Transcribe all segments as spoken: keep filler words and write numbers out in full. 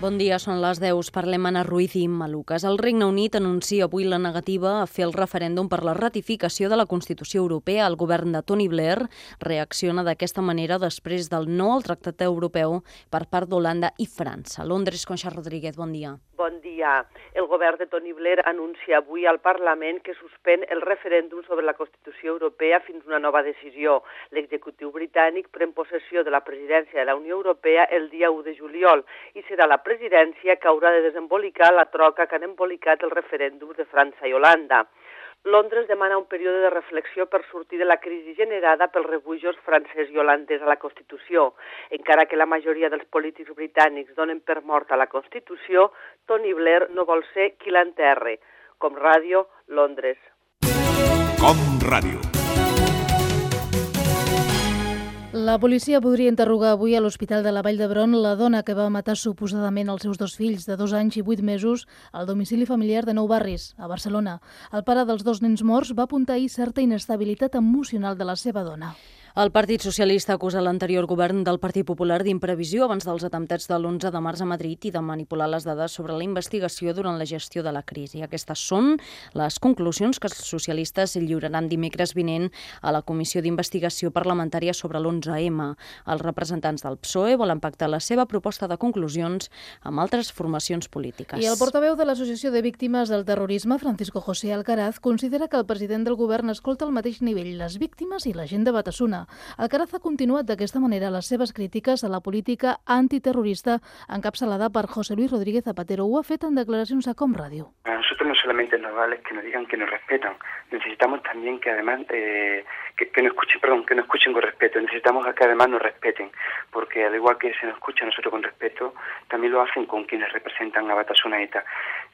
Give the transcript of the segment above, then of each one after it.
Bon dia, són les deu. Parlem Anna Ruiz i Imma Lucas. El Regne Unit anuncia avui la negativa a fer el referèndum per la ratificació de la Constitució Europea. El govern de Tony Blair reacciona d'aquesta manera després del no al Tractat Europeu per part d'Holanda i França. Londres, Conxa Rodríguez, bon dia. Bon dia. El govern de Tony Blair anuncia avui al Parlament que suspèn el referèndum sobre la Constitució Europea fins a una nova decisió. L'executiu britànic pren possessió de la presidència de la Unió Europea el dia u de juliol i serà la presidència que haurà de desembolicar la troca que han embolicat el referèndum de França i Holanda. Londres demana un període de reflexió per sortir de la crisi generada pels rebujos francès i holandès a la Constitució. Encara que la majoria dels polítics britànics donen per morta la Constitució, Tony Blair no vol ser qui l'enterre. Com Ràdio, Londres. Com Ràdio. La policia podria interrogar avui a l'Hospital de la Vall d'Hebron la dona que va matar suposadament els seus dos fills de dos anys i vuit mesos al domicili familiar de Nou Barris, a Barcelona. El pare dels dos nens morts va apuntar ahir certa inestabilitat emocional de la seva dona. El Partit Socialista acusa l'anterior govern del Partit Popular d'imprevisió abans dels atemptats de l'onze de març a Madrid i de manipular les dades sobre la investigació durant la gestió de la crisi. Aquestes són les conclusions que els socialistes lliuraran dimecres vinent a la Comissió d'Investigació Parlamentària sobre l'onze eme. Els representants del P S O E volen pactar la seva proposta de conclusions amb altres formacions polítiques. I el portaveu de l'Associació de Víctimes del Terrorisme, Francisco José Alcaraz, considera que el president del govern escolta al mateix nivell les víctimes i la gent de Batasuna. Alcaraz ha continuat d'aquesta manera les seves crítiques a la política antiterrorista encapçalada per José Luis Rodríguez Zapatero. Ho ha fet en declaracions a Com Radio. A nosotros no solamente nos vale que nos digan que nos respetan, necesitamos también que además eh, que, que nos escuchen, perdón, que nos escuchen con respeto. Necesitamos que además nos respeten, porque al igual que se nos escucha a nosotros con respeto, también lo hacen con quienes representan a Batasuna y ETA.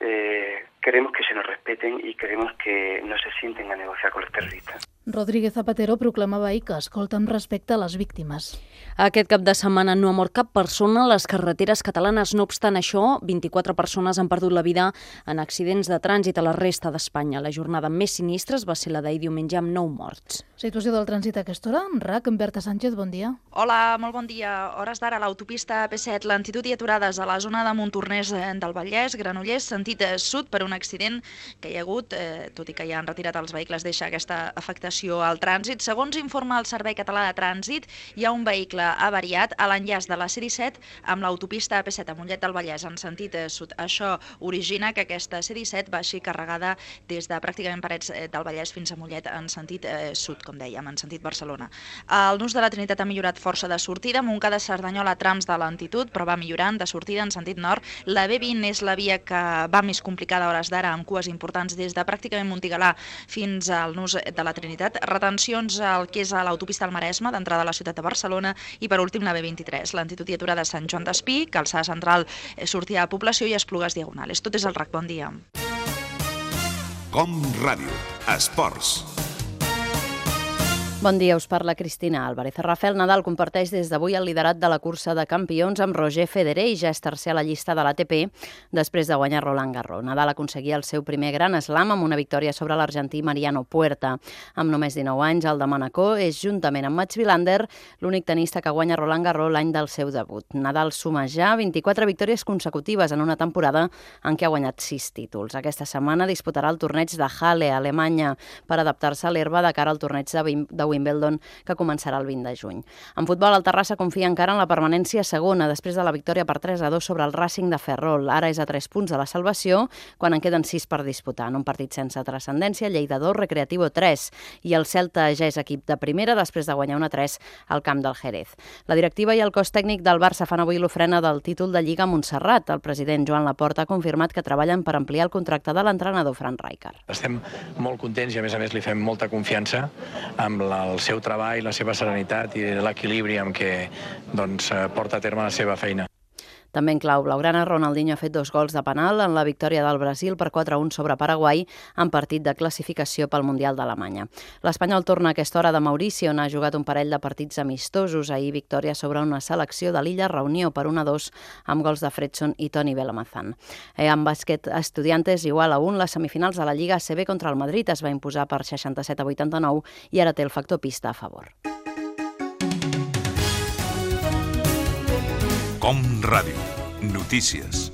Eh, queremos que se nos respeten y queremos que no se sienten a negociar con los terroristas. Rodríguez Zapatero proclamava ahir que escolta amb respecte a les víctimes. Aquest cap de setmana no ha mort cap persona a les carreteres catalanes. No obstant això, vint-i-quatre persones han perdut la vida en accidents de trànsit a la resta d'Espanya. La jornada més sinistres va ser la d'ahir diumenge amb nou morts. Situació del trànsit a aquesta hora. En R A C, en Berta Sánchez, bon dia. Hola, molt bon dia. Hores d'ara, l'autopista P set, lentitud i aturades a la zona de Montornès del Vallès, Granollers, sentit sud per un accident que hi ha hagut, eh, tot i que ja han retirat els vehicles, deixa aquesta afectació al trànsit. Segons informa el Servei Català de Trànsit, hi ha un vehicle avariat a l'enllaç de la C disset amb l'autopista P set a Mollet del Vallès en sentit sud. Això origina que aquesta C disset baixi carregada des de pràcticament Parets del Vallès fins a Mollet en sentit eh, sud, com dèiem, en sentit Barcelona. El nus de la Trinitat ha millorat força de sortida, Montcada Cerdanyola trams de lentitud, però va millorant de sortida en sentit nord. La B vint és la via que va més complicada a hores d'ara, amb cues importants des de pràcticament Montigalà fins al nus de la Trinitat. Retencions al que és a l'autopista al Maresme, d'entrada a la ciutat de Barcelona, i per últim la B vint-i-tres, lentitud i aturada a Sant Joan d'Espí, calçada central, sortida a Població i Esplugues Diagonales. Tot és el R A C. Bon dia. Com Ràdio. Esports. Bon dia, us parla Cristina Álvarez. Rafael Nadal comparteix des d'avui el liderat de la cursa de campions amb Roger Federer i ja és tercer a la llista de l'A T P després de guanyar Roland Garros. Nadal aconseguia el seu primer gran slam amb una victòria sobre l'argentí Mariano Puerta. Amb només dinou anys, el de Manacor és, juntament amb Mats Wilander, l'únic tenista que guanya Roland Garros l'any del seu debut. Nadal suma ja vint-i-quatre victòries consecutives en una temporada en què ha guanyat sis títols. Aquesta setmana disputarà el torneig de Halle, a Alemanya, per adaptar-se a l'herba de cara al torneig de Wimbledon, que començarà el vint de juny. En futbol, el Terrassa confia encara en la permanència segona després de la victòria per tres a dos sobre el Racing de Ferrol. Ara és a tres punts de la salvació, quan en queden sis per disputar. En un partit sense transcendència, Lleida dos, Recreativo tres, i el Celta ja és equip de primera després de guanyar una tres al camp del Jerez. La directiva i el cos tècnic del Barça fan avui l'ofrena del títol de Lliga a Montserrat. El president Joan Laporta ha confirmat que treballen per ampliar el contracte de l'entrenador Fran Rijkaard. Estem molt contents i a més a més li fem molta confiança amb la el seu treball, la seva serenitat i l'equilibri amb què doncs, porta a terme la seva feina. També en clau blaugrana, Ronaldinho ha fet dos gols de penal en la victòria del Brasil per quatre a un sobre Paraguai en partit de classificació pel Mundial d'Alemanya. L'Espanyol torna a aquesta hora de Maurici, on ha jugat un parell de partits amistosos. Ahir victòria sobre una selecció de l'illa Reunió per un a dos amb gols de Fredson i Toni Belamazán. Eh, en bàsquet, Estudiantes igual a un. Les semifinals de la Lliga A C B contra el Madrid es va imposar per seixanta-set a vuitanta-nou i ara té el factor pista a favor. Com Ràdio. Notícies.